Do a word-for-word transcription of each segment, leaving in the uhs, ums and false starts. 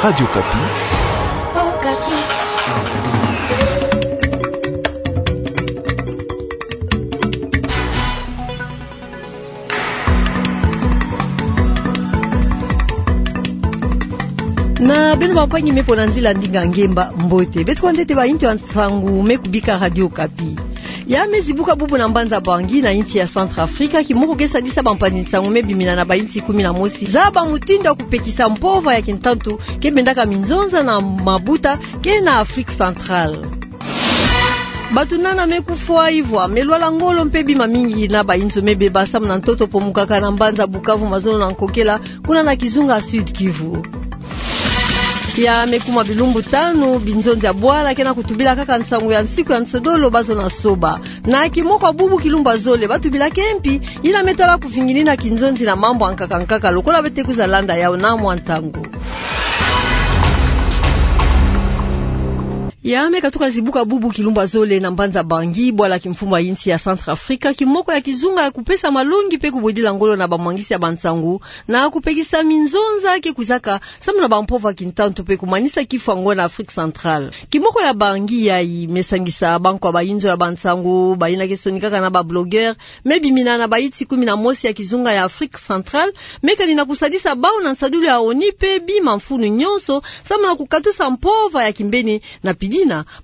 Radio Okapi. Na beno bampangi me mpo na nzila ndinga ngemba, mbote. Beto kwa ntete bainzo ya nsangu me kubika Radio Okapi. Ya me zibuka bubu na mbanza Bangui na insi ya Centrafrique, kimoko ke sadisa bampangi nsangu me bimina na bainsi kumi na mosi zaba mutindu ya kupekisa mpova ya kintantu ke bendaka minzonza na mabuta ke na Afrique Centrale. Bato nana me kufwa, ivwa me lwala ngolo mpe bima mingi na bainzo me beba samu na ntoto pomukaka na mbanza Bukavu, mazono na Nkokela, kuna na kizunga Sud-Kivu. Ya me kuma bilumbu tanu, binzonzi ya bwala ke na kutubila kaka nsangu ya nsiku ya nsodolo bazo na soba. Na kimoko ya bubu kilumbu ya zole, ba tubila ke mpi yina me tala kuvinginina kinzonzi na mambu ya nkaka nkaka, lokola bete kwiza landa yau na mwa ntangu. Ya me katuka zibuka bubu kilumbu ya zole na mbanza Bangui, bwala kimfumu ya insi ya Centrafrique, kimoko ya kizunga ya kupesa malongi mpe kubwedila ngolo na bamwangisi ya bansangu, na kupekisa minzonza ke kwizaka samu na bampova ya kintantu mpe kumanisa kifwa ngo na Afrique Centrale. Kimoko ya Bangui yayi me sangisa bankwa bainzo ya bansangu, bayina ke sonikaka na bablogueur, me bimina na bainsi kumi na mosi ya kizunga ya Afrique Centrale, me kani na kusadisa bau na nsadulu ya ONU mpe bima mfunu nyonso, samu na kukatusa mpova ya kimbeni na pidina,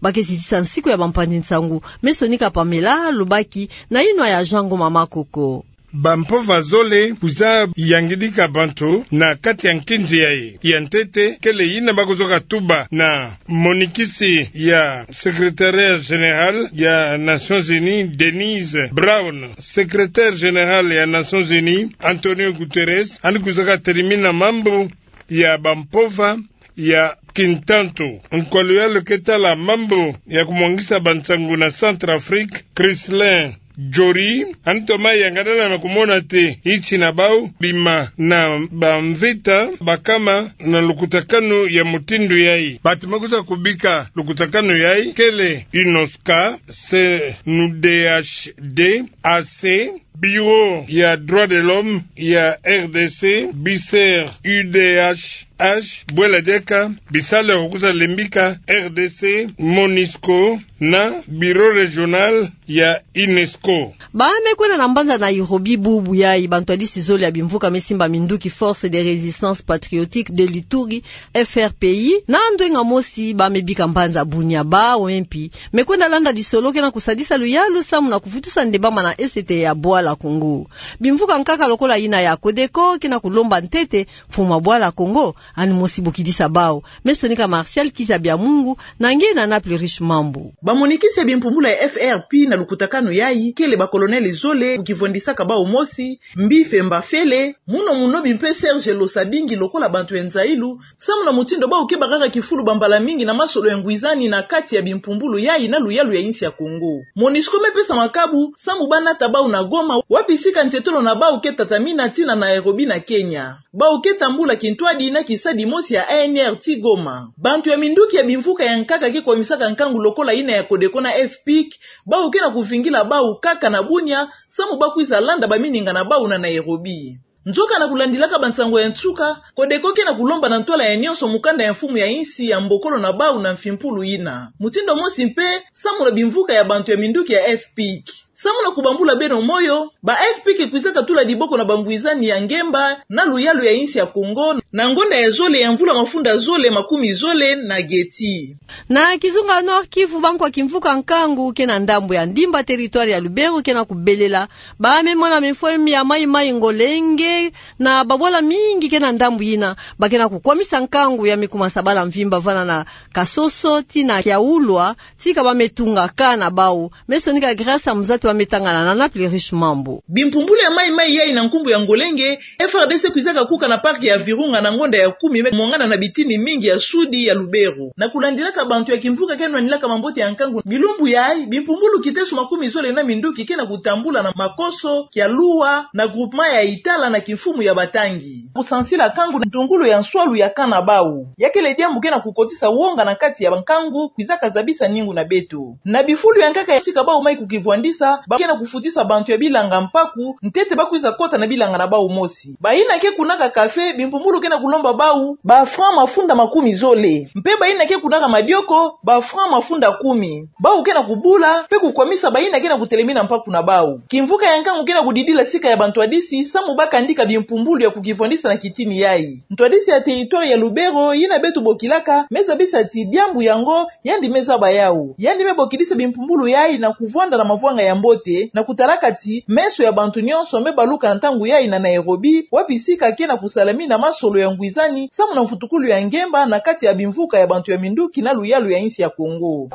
ba ke zitisa nsiku ya bampangi nsangu, me sonika Pamela Lubaki na yinwa ya Jean Ngoma Makoko. Bampova zole kwiza yangidika bantu na kati ya nkinzi yayi. Ya ntete kele yina ba kuzaka tuba na monikisi ya Secrétariat Général ya Nations Unies, Denise Brown. Secrétaire général ya Nations Unies, Antonio Guterres, yandi kwizaka telimina mambu ya bampova ya kintantu. Nkwa luyalu ke tala mambu ya kumwangisa bansangu na Centrafrique, Chrislin Jory, yandi toma yangalala na kumona te insi na bau bima na bamvita bakama na lukutakanu ya mutindu yayi. Bato me kwiza kubika lukutakanu yayi kele UNOSCA, C N D H D, A C, Bureau ya droits de l'homme ya R D C, BICER, U D H H, bwela diaka bisalu ya kwiza limbika R D C, MONUSCO na Bureau régional ya UNESCO. Ba me kwenda na mbanza Nairobi bubu yayi, bantwadisi zole ya bimvuka me simba minduki Force de Résistance Patriotique de l'Ituri, F R P I, na ndwenga mosi ba me bika mbanza Bunia, bau mpe me kwenda landa lisolo ke na kusadisa luyalu samu na kuvutusa ndembama na E C T ya bwala Kongo. Bimvuka nkaka lokola yina ya CODECO ke na kulomba ntete mfumu ya bwala Kongo, yandi mosi bokidisa bau. Me sonika Martial Kiza Biamungu na nge na Naples Riche Mambu. Bamonikisi ya bimpumbulu ya F R P na lukutakanu yayi kele bakolonele zole, kivwandisaka bau mosi, Mbife Mbafele, Muno Munobi mpe Serge Losabingi lokola bantu ya nzailu, samu na mutindu bau ke bakaka kifulu bambala mingi na masolo ya ngwizani na kati ya bimpumbulu yayi na luyalu ya insi ya Kongo. MONUSCO me pesa makabu samu ba nata bau na Goma, wapi sika ntietolo na bau ke tatamina tii na Nairobi na Kenya. Bau ke tambula kintwadi na kisadi mosi ya A N R tii Goma. Bantu ya minduki ya bimvuka ya nkaka ke kwamisaka nkangu lokola yina ya CODECO na F P I C, bau ke na kuvingila bau kaka na Bunia, samu ba kwiza landa bamininga na bau na Nairobi. Nzoka na kulandilaka bansangu ya nsuka, CODECO ke na kulomba na ntwala ya nyonso mukanda ya mfumu ya insi ya mbokolo na bau na mfimpulu yina. Mutindu mosi mpe, samu na bimvuka ya bantu ya minduki ya F P I C. Samu na kubambula beno moyo, ba F P I C kwizaka tula diboko na bangwizani ya ngemba na luyalu ya insi ya Kongo, na ngonda ya zole ya mvula mafunda zole makumi zole na geti. Na kizunga Nord-Kivu, bankwa kimvuka nkangu ke na ndambu ya Ndimba, territoire ya Lubero, ke na kubelela ba me mona mifwemi ya mayi-mayi Ngolenge na babwala mingi ke na ndambu yina. Ba ke na kukwamisa nkangu ya me kuma sabala mvimba vana na Kasoso tii na Kiaulwa, tii ka ba me tunga kaa na bau. Me sonika Grâce Muzati wa me tangana na Naples Riche Mambu. Bimpumbulu ya mayi-mayi yayi na nkumbu ya Ngolenge, F R D C kwizaka kuka na parc ya Virunga na ngonda ya kumi me mwangana na bitini mingi ya sudi ya Lubero. Na kulandilaka bantu ya kimvuka ke nwanilaka mambote ya nkangu, bilumbu yayi, bimpumbulu kiteso makumi zole na minduki ke na kutambula na Makoso, Kiaulwa, na groupement ya Itala na kimfumu ya Batangi. Kusansila nkangu na ntungulu ya nswalu ya kaa na bau. Ya kele diambu ke na kukotisa wonga na kati ya bankangu, kwizaka zabisa ningu na beto. Na bifulu ya nkaka ya sika bau mayi kukivwandisa, ba ke na kufutisa bantu ya bilanga mpaku, ntete ba kwiza kota na bilanga na bau mosi. Bayina ke kunaka kafe, bimpumbulu ke na kulomba bau ba francs mafunda makumi zole. Mpe bayina ke kunaka madioko, ba francs mafunda kumi. Bau ke na kubula, mpe kukwamisa bayina ke na kutelemina mpaku na bau. Kimvuka ya nkangu ke na kudidila sika ya bantwadisi, samu ba kandika bimpumbulu ya kukivwandisa na kitini yayi. Ntwadisi ya territoire ya Lubero, yina beto bokilaka, me zabisa ti diambu yango, yandi me zaba yau. Yandi me bokidisa bimpumbulu yayi na kuvwanda na mavwanga ya mbote, na kutalaka ti meso ya bantu nyonso me baluka na ntangu yayi na Nairobi, wapi sika ke na kusalamina masolo ya ngwizani, samu na mfutukulu ya ngemba na kati ya bimvuka ya bantu ya minduki na luyalu ya insi ya Congo.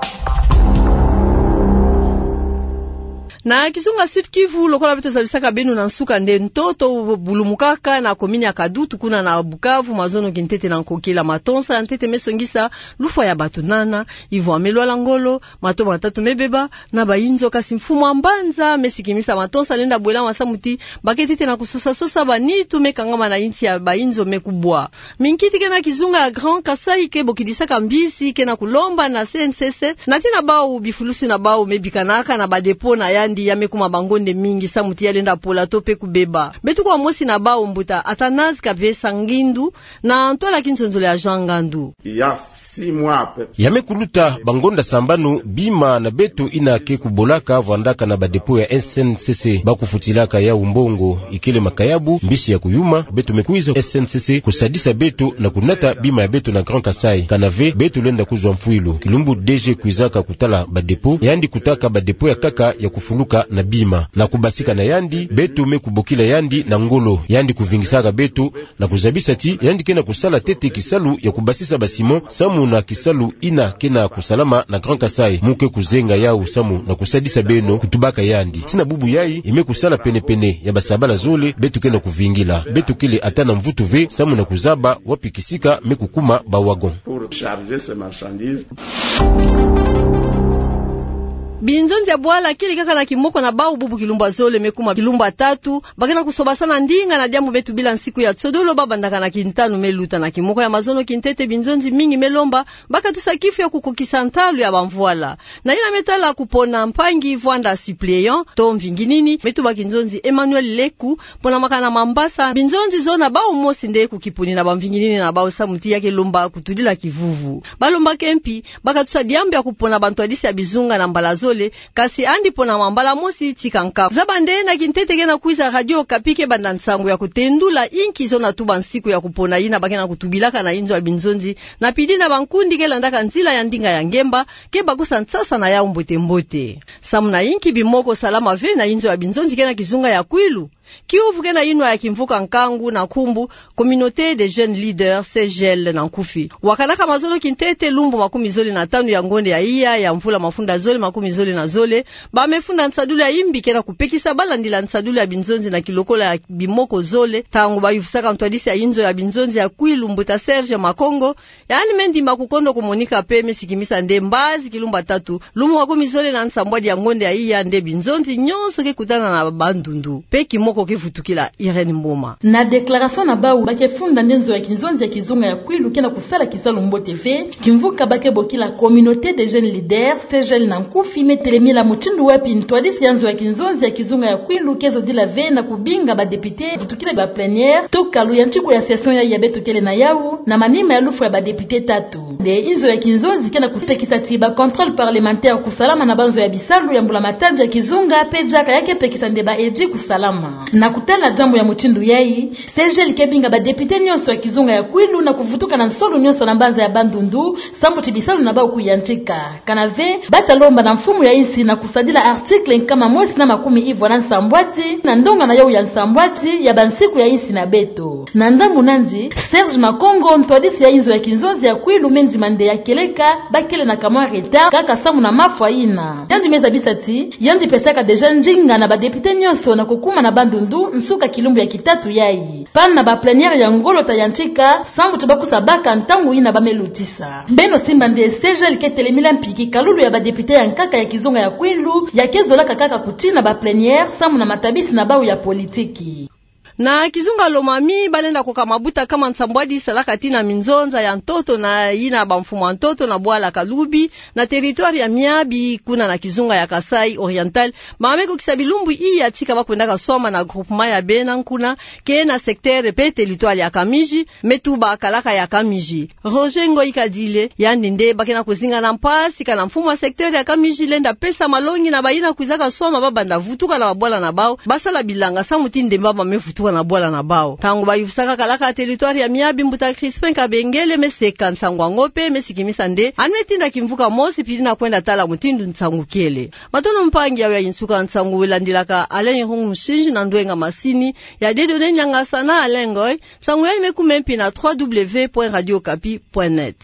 Na kizunga Sud-Kivu, lokola beto zabisaka beno na nsuka, nde ntoto bulumukaka na commune ya Kadutu, kuna na Bukavu, mazono kintete na nkokila matonsa ya ntete me songisa lufwa ya bato nana, ivwa me lwala ngolo, mato matatu me beba, na bayinzo. Kasi mfumu wa mbanza me sikimisa matonsa lenda bwela, samu ti ba ke ntete na kusosa-sosa banitu me kangama na insi ya bayinzo me kubwa. Minkiti ke na kizunga ya Grand Kasaï ke bokidisaka mbisi ke na kulomba na C N C C, na tina bau bifulusi na bau me bikanaka na ba dépôt na yandi ya me kuma bangonde mingi, samu ti ya lenda pola to mpe kubeba. Beto kuwa mosi na bau, mbuta Athanase Kabesa Ngindu, na ntwala ya kinzonzolo ya Jean Ngandu. Il y a six mois à peu près. Ya me kuluta bangonda sambanu, bima na beto yina ke kubolaka vwandaka na ba dépôt ya S N C C, ba kufutilaka yau mbongo ikele makayabu, mbisi ya kuyuma. Beto me kwiza S N C C kusadisa beto na kunata bima ya beto na Grand Kasaï. Kana ve, beto lenda kuzwa mfwilu. Kilumbu D G kwizaka kutala ba dépôt, yandi kutaka ba dépôt ya nkaka ya kufuluka na bima. Na kubasika na yandi, beto me kubokila yandi na ngolo. Yandi kuvingisaka beto na kuzabisa ti yandi ke na kusala ntete kisalu ya kubasisa ba ciment, samu na kisalu yina ke na kusalama na Grand Kasaï. Mu ke kuzenga yau samu na kusadisa beno, kutubaka yandi. Tina bubu yayi, i me kusala pene-pene ya basabala zole beto ke na kuvingila. Beto kele ata na mvutu ve samu na kuzaba wapi kisika me kukuma ba wagon. Pour charger ces marchandises. Binzonzi ya bwala kele kaka na kimoko na bau, bubu kilumbu ya zole me kuma kilumbu ya tatu, ba ke na kusobasana ndinga na diambu me tubila nsiku ya nsodolo, ba bandaka na kintanu me luta. Na kimoko ya mazono kintete, binzonzi mingi me lomba ba katusa kifu ya kukokisa ntalu ya bamvwala. Na yina me tala kupona mpangi vwanda suppléant to mvinginini, me tuba kinzonzi Emmanuel Leku, pona makana Mambasa, binzonzi zona bau mosi nde kukipuni na bamvinginini na bau, samu ti ya ke lomba kutudila kivuvu. Ba lomba ke mpi ba katusa diambu ya kupona bantwadisi ya bizunga na mbala zole, kasi yandi pona mambala mosi tika nkaku. Zaba nde na kintete ke na kwiza, Radio Okapi ke banda nsangu ya kutendula inki zona tuba nsiku ya kupona yina ba ke na kutubilaka na inzo ya binzonzi, na pidi na bankundi ke landaka nzila ya ndinga ya ngemba, ke bakusa nsasa na yau mbote-mbote. Samu na inki bimoko salama ve na inzo ya binzonzi ke na kizunga ya Kwilu? Kiuvu ke na yinwa ya kimvuka nkangu na nkumbu Communauté des Jeunes Leaders, C J L na nkufi. Wakanaka mazono kintete, lumbu makumi zole na tanu ya ngonde ya iya ya mvula mafunda zole makumi zole na zole, ba me funda nsadulu ya imbi ke na kupekisa ba landila nsadulu ya binzonzi na kilokola ya bimoko zole, ntangu ba yuvusaka ntwadisi ya inzo ya binzonzi ya Kwilu, mbuta Serge Makongo, yandi me ndima kukondo kumonika mpe me sikimisa nde mbazi kilumbu ya tatu, lumbu makumi zole na nsambwadi ya ngonde ya iya, nde binzonzi nyonso ke kutana na bandundu mpe kimoko ke vutukila. Irène Mboma. Na déclaration na bau, ba ke funda nde nzo ya kinzonzi ya kizunga ya Kwilu ke na kusala kisalu mbote ve. Kimvuka ba ke bokila Communauté des Jeunes Leaders, C J L na nkufi, me telemila mutindu wapi ntwadisi ya nzo ya kinzonzi ya kizunga ya Kwilu ke zodila ve na kubinga ba députés vutukila ba plénière, to kalu ya ntiku ya session ya, ya beto kele na yau, na manima ya lufwa ya ba députés tatu. Nde inzo ya kinzonzi ke na kupekisa ti ba contrôle parlementaire kusalama na banzo ya bisalu ya mbula-matadi ya kizunga, mpe diaka ya ke pekisa nde ba edits kusalama. Na kutala diambu ya mutindu yayi, C J L ke binga ba députés nyonso ya kizunga ya Kwilu na kuvutuka na nsolu nyonso na mbanza ya Bandundu, samu ti bisalu na bau kuyantika. Kana ve, ba ta lomba na mfumu ya insi na kusadila article nkama mosi na makumi ivwa na nsambwadi, na ndonga na yau ya nsambwadi ya bansiku ya insi na beto. Na ndambu nandi, Serge Makongo, ntwadisi ya inzo ya kinzonzi ya Kwilu, me ndima nde ya kieleka ba kele na kamwa retard kaka samu na mafwa yina. Yandi me zabisa ti yandi pesaka déjà ndinga na ba députés nyonso na kukuma na Bandundu nsuka kilumbu ya kitatu yayi. Panne na ba plénière ya ngolo ta yantika, samu ti ba kusa baka ntangu yina ba me lutisa. Beno simba nde C J L ke telemila mpi kikalulu ya ba députés ya nkaka ya kizunga ya Kwilu, ya ke zolaka kaka kutina ba plénière samu na matabisi na bau ya politiki. Na kizunga Lomami, balenda koka mabuta kama nsambwadi salaka tii na minzonza ya ntoto na yina bamfumu ya ntoto na bwala Kalubi, na territoire ya Miabi, kuna na kizunga ya Kasaï Oriental. Ba me kokisa bilumbu iya tika ba kwendaka swama na groupement ya Bena Nkuna, ke na secteur pe territoire ya Kamiji, me tuba kalaka ya Kamiji. Roger Ngoyi Kadile, yandi nde ba ke na kuzinga na mpasi kana mfumu ya secteur ya Kamiji lenda pesa malongi na bayina kwizaka swama ba banda vutuka na babwala na bau, ba sala bilanga samu ti ndemba ba me vutuka na bwala na bau. Ntangu ba yufusaka kalaka ya territoire ya Miabi, mbuta Crispin Kabengele me seka nsangu yango pe me sikimisa nde anu me tinda kimvuka mosi pili na kwenda tala mutindu nsangu kele. Matondo mpangi, yayi nsuka nsangu, landilaka Alain Irung Musinji na ndwenga masini ya Dieudonné Niangasa na Alain Ngoyi. Nsangu yayi me kumempi na trois W point radio okapi point net.